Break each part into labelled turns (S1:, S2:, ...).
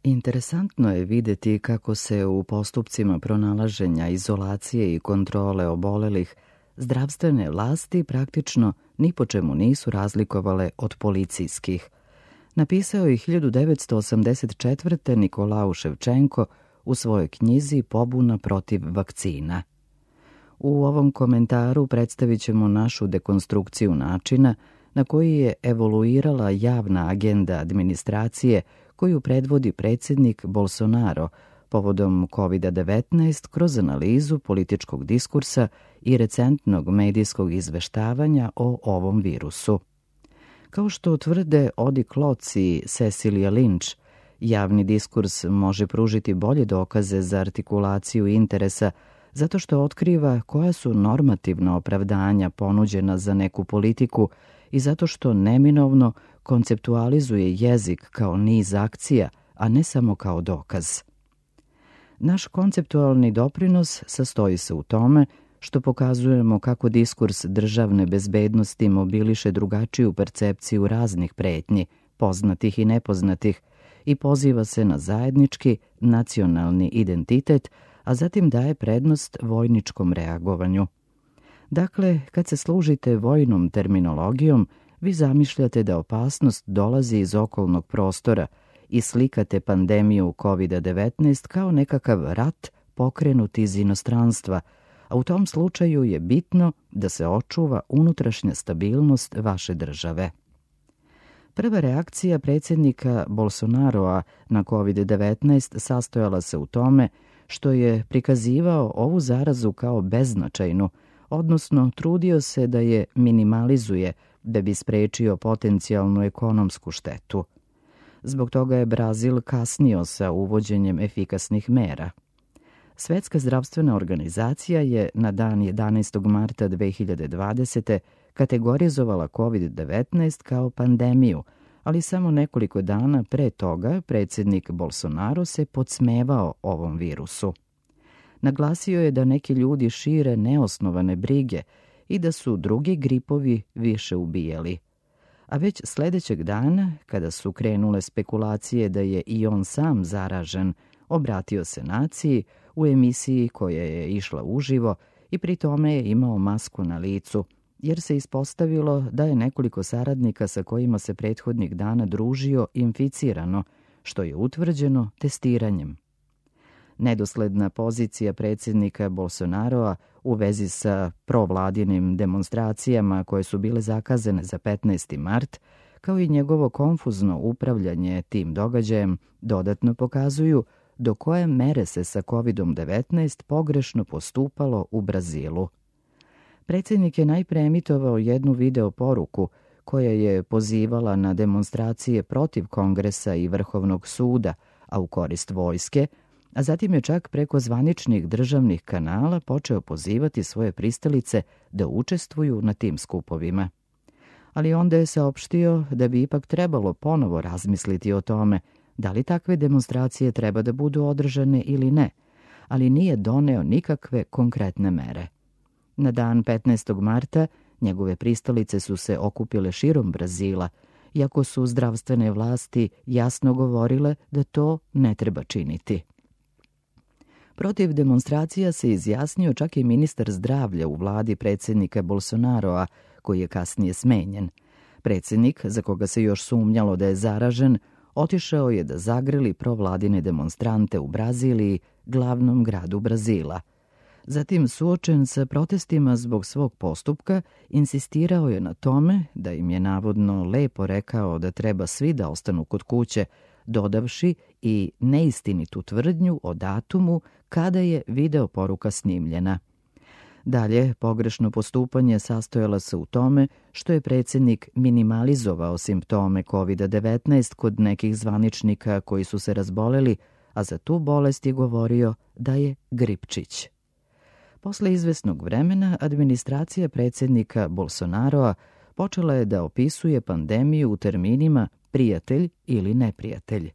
S1: Interesantno je videti kako se u postupcima pronalaženja, izolacije i kontrole obolelih zdravstvene vlasti praktično ni po čemu nisu razlikovale od policijskih. Napisao je 1984. Nikolao Ševčenko u svojoj knjizi Pobuna protiv vakcina. U ovom komentaru predstavit ćemo našu dekonstrukciju načina na koji je evoluirala javna agenda administracije koju predvodi predsjednik Bolsonaro povodom COVID-19 kroz analizu političkog diskursa i recentnog medijskog izveštavanja o ovom virusu. Kao što tvrde Odi Klotz i Cecilia Lynch, javni diskurs može pružiti bolje dokaze za artikulaciju interesa zato što otkriva koja su normativna opravdanja ponuđena za neku politiku i zato što neminovno konceptualizuje jezik kao niz akcija, a ne samo kao dokaz. Naš konceptualni doprinos sastoji se u tome što pokazujemo kako diskurs državne bezbednosti mobiliše drugačiju percepciju raznih pretnji, poznatih i nepoznatih, i poziva se na zajednički nacionalni identitet, a zatim daje prednost vojničkom reagovanju. Dakle, kad se služite vojnom terminologijom, vi zamišljate da opasnost dolazi iz okolnog prostora i slikate pandemiju COVID-19 kao nekakav rat pokrenut iz inostranstva, a u tom slučaju je bitno da se očuva unutrašnja stabilnost vaše države. Prva reakcija predsjednika Bolsonaroa na COVID-19 sastojala se u tome što je prikazivao ovu zarazu kao beznačajnu, odnosno trudio se da je minimalizuje da bi sprečio potencijalnu ekonomsku štetu. Zbog toga je Brazil kasnio sa uvođenjem efikasnih mera. Svetska zdravstvena organizacija je na dan 11. marta 2020. kategorizovala COVID-19 kao pandemiju, ali samo nekoliko dana pre toga predsjednik Bolsonaro se podsmevao ovom virusu. Naglasio je da neki ljudi šire neosnovane brige i da su drugi gripovi više ubijali. A već sljedećeg dana, kada su krenule spekulacije da je i on sam zaražen, obratio se naciji u emisiji koja je išla uživo i pri tome je imao masku na licu, jer se ispostavilo da je nekoliko saradnika sa kojima se prethodnih dana družio inficirano, što je utvrđeno testiranjem. Nedosledna pozicija predsjednika Bolsonaroa u vezi sa provladinim demonstracijama koje su bile zakazane za 15. mart, kao i njegovo konfuzno upravljanje tim događajem, dodatno pokazuju do koje mere se sa COVID-19 pogrešno postupalo u Brazilu. Predsjednik je najpre emitovao jednu video poruku koja je pozivala na demonstracije protiv Kongresa i Vrhovnog suda, a u korist vojske, a zatim je čak preko zvaničnih državnih kanala počeo pozivati svoje pristalice da učestvuju na tim skupovima. Ali onda je saopštio da bi ipak trebalo ponovo razmisliti o tome da li takve demonstracije treba da budu održane ili ne, ali nije doneo nikakve konkretne mere. Na dan 15. marta njegove pristalice su se okupile širom Brazila, iako su zdravstvene vlasti jasno govorile da to ne treba činiti. Protiv demonstracija se izjasnio čak i ministar zdravlja u vladi predsjednika Bolsonaroa, koji je kasnije smenjen. Predsjednik, za koga se još sumnjalo da je zaražen, otišao je da zagrli provladine demonstrante u Braziliji, glavnom gradu Brazila. Zatim, suočen sa protestima zbog svog postupka, insistirao je na tome da im je navodno lepo rekao da treba svi da ostanu kod kuće, dodavši i neistinitu tvrdnju o datumu kada je video poruka snimljena. Dalje, pogrešno postupanje sastojalo se u tome što je predsjednik minimalizovao simptome COVID-19 kod nekih zvaničnika koji su se razboleli, a za tu bolest je govorio da je gripčić. Posle izvesnog vremena, administracija predsjednika Bolsonaroa počela je da opisuje pandemiju u terminima prijatelj ili neprijatelj.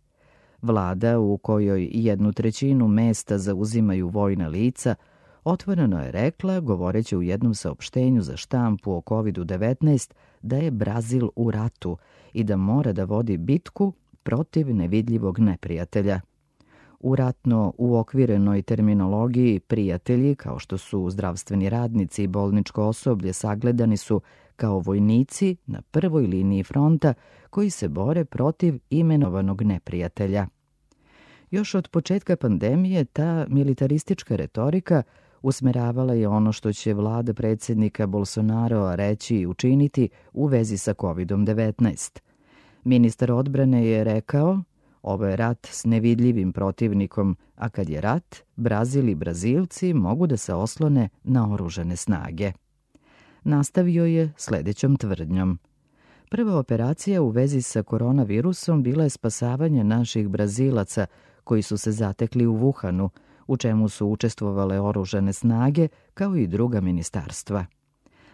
S1: Vlada, u kojoj 1/3 mesta zauzimaju vojna lica, otvoreno je rekla, govoreći u jednom saopštenju za štampu o COVID-19, da je Brazil u ratu i da mora da vodi bitku protiv nevidljivog neprijatelja. U ratno uokvirenoj terminologiji prijatelji, kao što su zdravstveni radnici i bolničko osoblje, sagledani su kao vojnici na prvoj liniji fronta koji se bore protiv imenovanog neprijatelja. Još od početka pandemije ta militaristička retorika usmeravala je ono što će vlada predsjednika Bolsonaroa reći i učiniti u vezi sa COVID-19. Ministar odbrane je rekao: ovo je rat s nevidljivim protivnikom, a kad je rat, Brazil i Brazilci mogu da se oslone na oružane snage. Nastavio je sljedećom tvrdnjom: prva operacija u vezi sa koronavirusom bila je spasavanje naših Brazilaca koji su se zatekli u Wuhanu, u čemu su učestvovale oružane snage kao i druga ministarstva.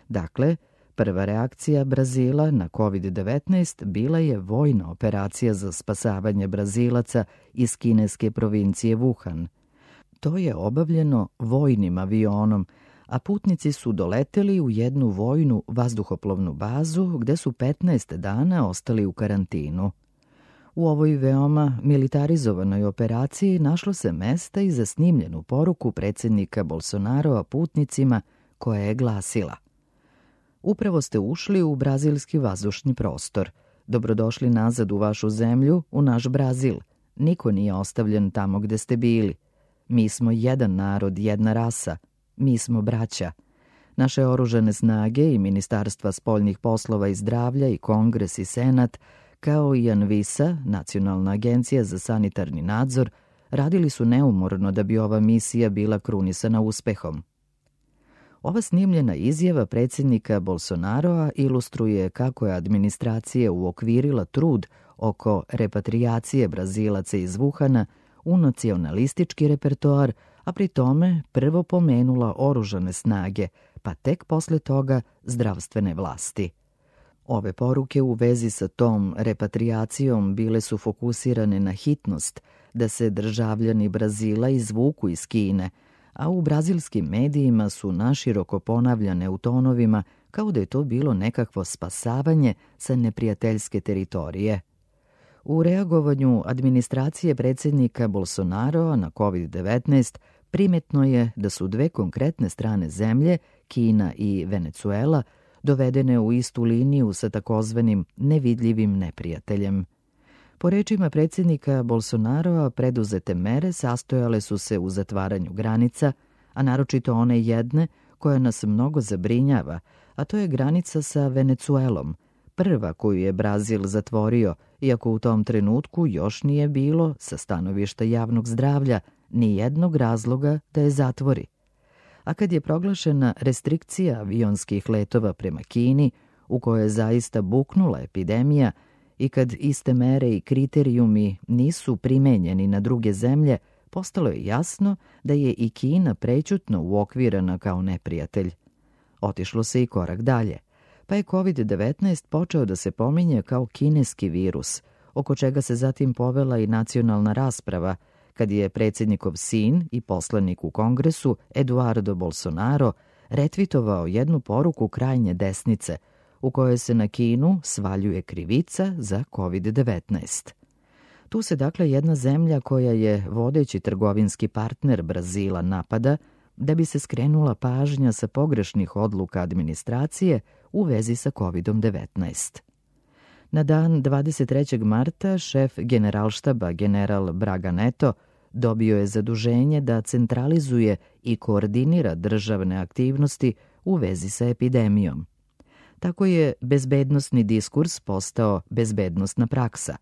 S1: Dakle, prva reakcija Brazila na COVID-19 bila je vojna operacija za spasavanje Brazilaca iz kineske provincije Wuhan. To je obavljeno vojnim avionom, a putnici su doleteli u jednu vojnu vazduhoplovnu bazu gde su 15 dana ostali u karantinu. U ovoj veoma militarizovanoj operaciji našlo se mesta i za snimljenu poruku predsjednika Bolsonaroa putnicima koja je glasila: upravo ste ušli u brazilski vazdušni prostor. Dobrodošli nazad u vašu zemlju, u naš Brazil. Niko nije ostavljen tamo gde ste bili. Mi smo jedan narod, jedna rasa. Mi smo braća. Naše oružane snage i Ministarstva spoljnih poslova i zdravlja i Kongres i Senat, kao i ANVISA, Nacionalna agencija za sanitarni nadzor, radili su neumorno da bi ova misija bila krunisana uspehom. Ova snimljena izjava predsjednika Bolsonaroa ilustruje kako je administracija uokvirila trud oko repatrijacije Brazilaca iz Wuhana u nacionalistički repertoar, a pri tome prvo pomenula oružane snage, pa tek posle toga zdravstvene vlasti. Ove poruke u vezi sa tom repatrijacijom bile su fokusirane na hitnost da se državljani Brazila izvuku iz Kine, a u brazilskim medijima su naširoko ponavljane u tonovima kao da je to bilo nekakvo spasavanje sa neprijateljske teritorije. U reagovanju administracije predsjednika Bolsonaroa na COVID-19 primetno je da su dve konkretne strane zemlje, Kina i Venecuela, dovedene u istu liniju sa takozvanim nevidljivim neprijateljem. Po rečima predsjednika Bolsonaroa, preduzete mere sastojale su se u zatvaranju granica, a naročito one jedne koja nas mnogo zabrinjava, a to je granica sa Venecuelom, prva koju je Brazil zatvorio, iako u tom trenutku još nije bilo, sa stanovišta javnog zdravlja, ni jednog razloga da je zatvori. A kad je proglašena restrikcija avionskih letova prema Kini, u kojoj je zaista buknula epidemija, i kad iste mere i kriterijumi nisu primenjeni na druge zemlje, postalo je jasno da je i Kina prećutno uokvirana kao neprijatelj. Otišlo se i korak dalje, pa je COVID-19 počeo da se pominje kao kineski virus, oko čega se zatim povela i nacionalna rasprava, kad je predsjednikov sin i poslanik u Kongresu, Eduardo Bolsonaro, retvitovao jednu poruku krajnje desnice, u kojoj se na Kinu svaljuje krivica za COVID-19. Tu se dakle jedna zemlja koja je vodeći trgovinski partner Brazila napada da bi se skrenula pažnja sa pogrešnih odluka administracije u vezi sa COVID-19. Na dan 23. marta šef generalštaba general Braga Neto dobio je zaduženje da centralizuje i koordinira državne aktivnosti u vezi sa epidemijom. Tako je bezbednosni diskurs postao bezbednosna praksa.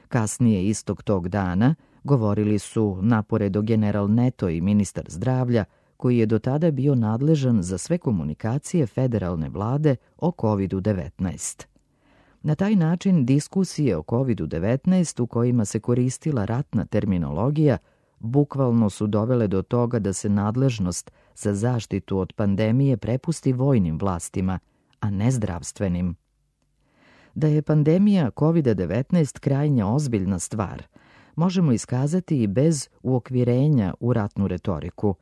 S1: Kasnije istog tog dana govorili su naporedo general Neto i ministar zdravlja, koji je do tada bio nadležan za sve komunikacije federalne vlade o COVID-19. Na taj način diskusije o COVID-19 u kojima se koristila ratna terminologija bukvalno su dovele do toga da se nadležnost za zaštitu od pandemije prepusti vojnim vlastima, a ne zdravstvenim. Da je pandemija COVID-19 krajnje ozbiljna stvar, možemo iskazati i bez uokvirenja u ratnu retoriku.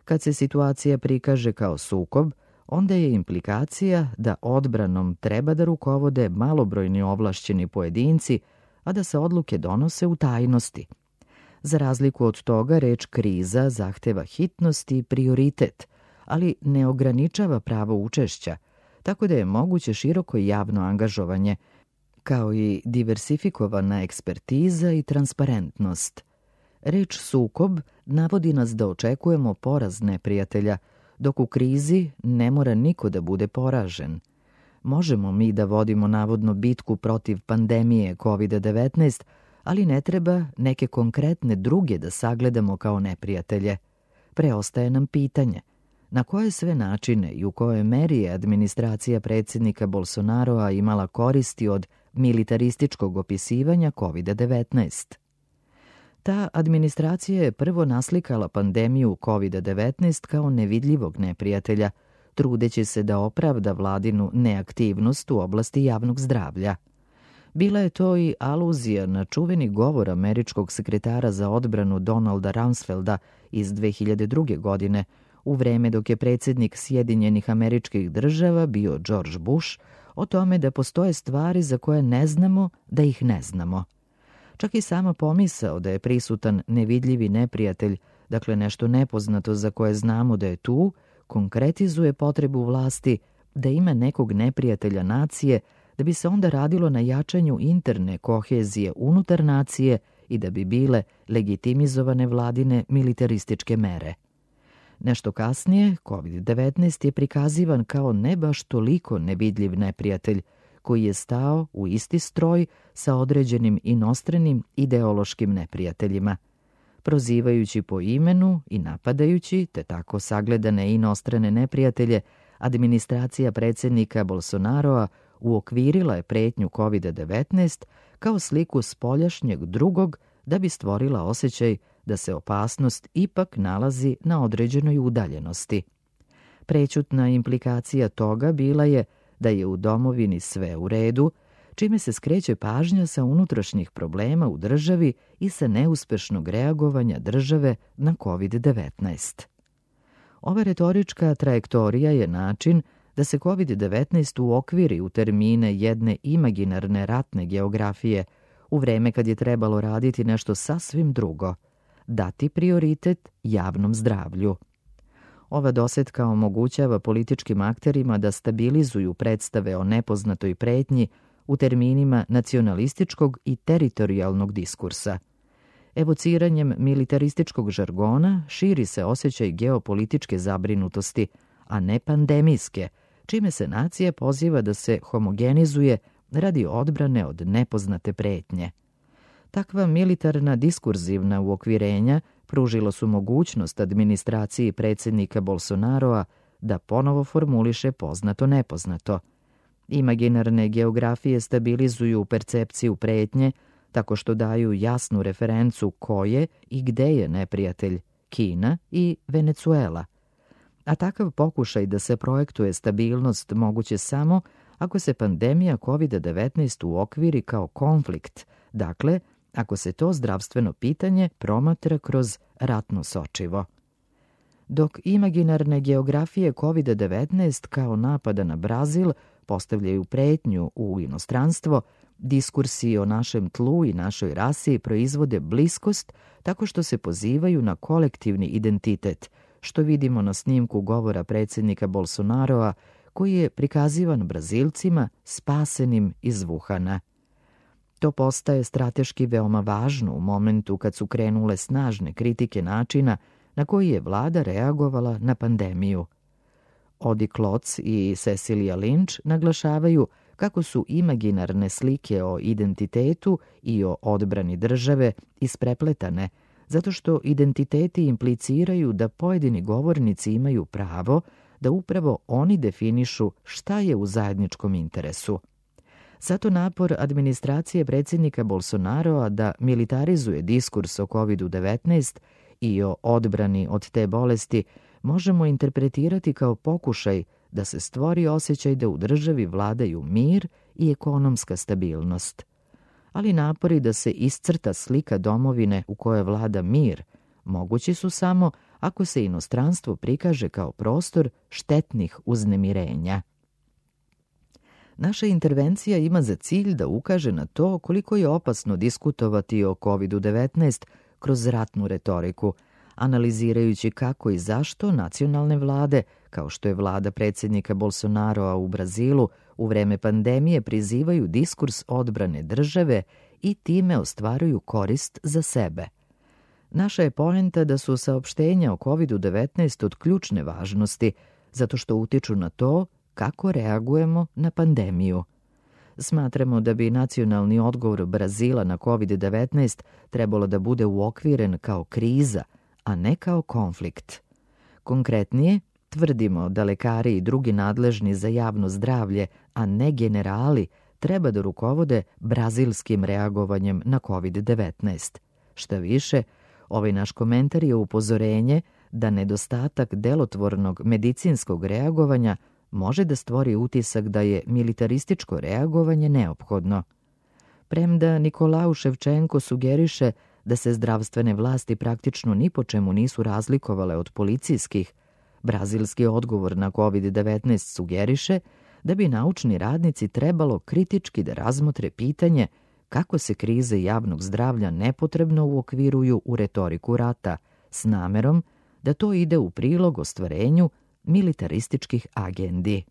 S1: Kad se situacija prikaže kao sukob, onda je implikacija da odbranom treba da rukovode malobrojni ovlašćeni pojedinci, a da se odluke donose u tajnosti. Za razliku od toga, reč kriza zahteva hitnost i prioritet, ali ne ograničava pravo učešća, tako da je moguće široko javno angažovanje, kao i diversifikovana ekspertiza i transparentnost. Reč sukob navodi nas da očekujemo poraz neprijatelja, dok u krizi ne mora niko da bude poražen. Možemo mi da vodimo navodno bitku protiv pandemije COVID-19, ali ne treba neke konkretne druge da sagledamo kao neprijatelje. Preostaje nam pitanje na koje sve načine i u kojoj meri je administracija predsjednika Bolsonaroa imala koristi od militarističkog opisivanja COVID-19. Ta administracija je prvo naslikala pandemiju COVID-19 kao nevidljivog neprijatelja, trudeći se da opravda vladinu neaktivnost u oblasti javnog zdravlja. Bila je to i aluzija na čuveni govor američkog sekretara za odbranu Donalda Rumsfelda iz 2002. godine, u vreme dok je predsjednik Sjedinjenih Američkih Država bio George Bush, o tome da postoje stvari za koje ne znamo da ih ne znamo. Čak i sama pomisao da je prisutan nevidljivi neprijatelj, dakle nešto nepoznato za koje znamo da je tu, konkretizuje potrebu vlasti da ima nekog neprijatelja nacije, da bi se onda radilo na jačanju interne kohezije unutar nacije i da bi bile legitimizovane vladine militarističke mere. Nešto kasnije, COVID-19 je prikazivan kao ne baš toliko nevidljiv neprijatelj, koji je stao u isti stroj sa određenim inostranim ideološkim neprijateljima. Prozivajući po imenu i napadajući, te tako sagledane inostrane neprijatelje, administracija predsjednika Bolsonaroa uokvirila je pretnju COVID-19 kao sliku spoljašnjeg drugog da bi stvorila osjećaj da se opasnost ipak nalazi na određenoj udaljenosti. Prećutna implikacija toga bila je da je u domovini sve u redu, čime se skreće pažnja sa unutrašnjih problema u državi i sa neuspešnog reagovanja države na COVID-19. Ova retorička trajektorija je način da se COVID-19 uokviri u termine jedne imaginarne ratne geografije, u vreme kad je trebalo raditi nešto sasvim drugo, dati prioritet javnom zdravlju. Ova dosetka omogućava političkim akterima da stabilizuju predstave o nepoznatoj pretnji u terminima nacionalističkog i teritorijalnog diskursa. Evociranjem militarističkog žargona širi se osjećaj geopolitičke zabrinutosti, a ne pandemijske, čime se nacija poziva da se homogenizuje radi odbrane od nepoznate pretnje. Takva militarna diskurzivna uokvirenja pružilo su mogućnost administraciji predsjednika Bolsonaroa da ponovo formuliše poznato-nepoznato. Imaginarne geografije stabilizuju percepciju pretnje tako što daju jasnu referencu ko je i gde je neprijatelj, Kina i Venecuela. A takav pokušaj da se projektuje stabilnost moguće samo ako se pandemija COVID-19 uokviri kao konflikt, dakle, ako se to zdravstveno pitanje promatra kroz ratno sočivo. Dok imaginarne geografije COVID-19 kao napada na Brazil postavljaju pretnju u inostranstvo, diskursi o našem tlu i našoj rasi proizvode bliskost tako što se pozivaju na kolektivni identitet, što vidimo na snimku govora predsjednika Bolsonaroa, koji je prikazivan Brazilcima spasenim iz Wuhana. To postaje strateški veoma važno u momentu kad su krenule snažne kritike načina na koji je vlada reagovala na pandemiju. Odi Klotz i Cecilia Lynch naglašavaju kako su imaginarne slike o identitetu i o odbrani države isprepletane, zato što identiteti impliciraju da pojedini govornici imaju pravo da upravo oni definišu šta je u zajedničkom interesu. Zato napor administracije predsjednika Bolsonaroa da militarizuje diskurs o COVID-19 i o odbrani od te bolesti možemo interpretirati kao pokušaj da se stvori osjećaj da u državi vladaju mir i ekonomska stabilnost. Ali napori da se iscrta slika domovine u kojoj vlada mir mogući su samo ako se inostranstvo prikaže kao prostor štetnih uznemirenja. Naša intervencija ima za cilj da ukaže na to koliko je opasno diskutovati o COVID-19 kroz ratnu retoriku, analizirajući kako i zašto nacionalne vlade, kao što je vlada predsjednika Bolsonaroa u Brazilu, u vreme pandemije prizivaju diskurs odbrane države i time ostvaruju korist za sebe. Naša je poenta da su saopštenja o COVID-19 od ključne važnosti, zato što utiču na to kako reagujemo na pandemiju. Smatramo da bi nacionalni odgovor Brazila na COVID-19 trebalo da bude uokviren kao kriza, a ne kao konflikt. Konkretnije, tvrdimo da lekari i drugi nadležni za javno zdravlje, a ne generali, treba da rukovode brazilskim reagovanjem na COVID-19. Šta više, ovaj naš komentar je upozorenje da nedostatak delotvornog medicinskog reagovanja može da stvori utisak da je militarističko reagovanje neophodno. Premda Nikolau Ševčenko sugeriše da se zdravstvene vlasti praktično ni po čemu nisu razlikovale od policijskih, brazilski odgovor na COVID-19 sugeriše da bi naučni radnici trebalo kritički da razmotre pitanje kako se krize javnog zdravlja nepotrebno uokviruju u retoriku rata, s namerom da to ide u prilog ostvarenju militarističkih agendi.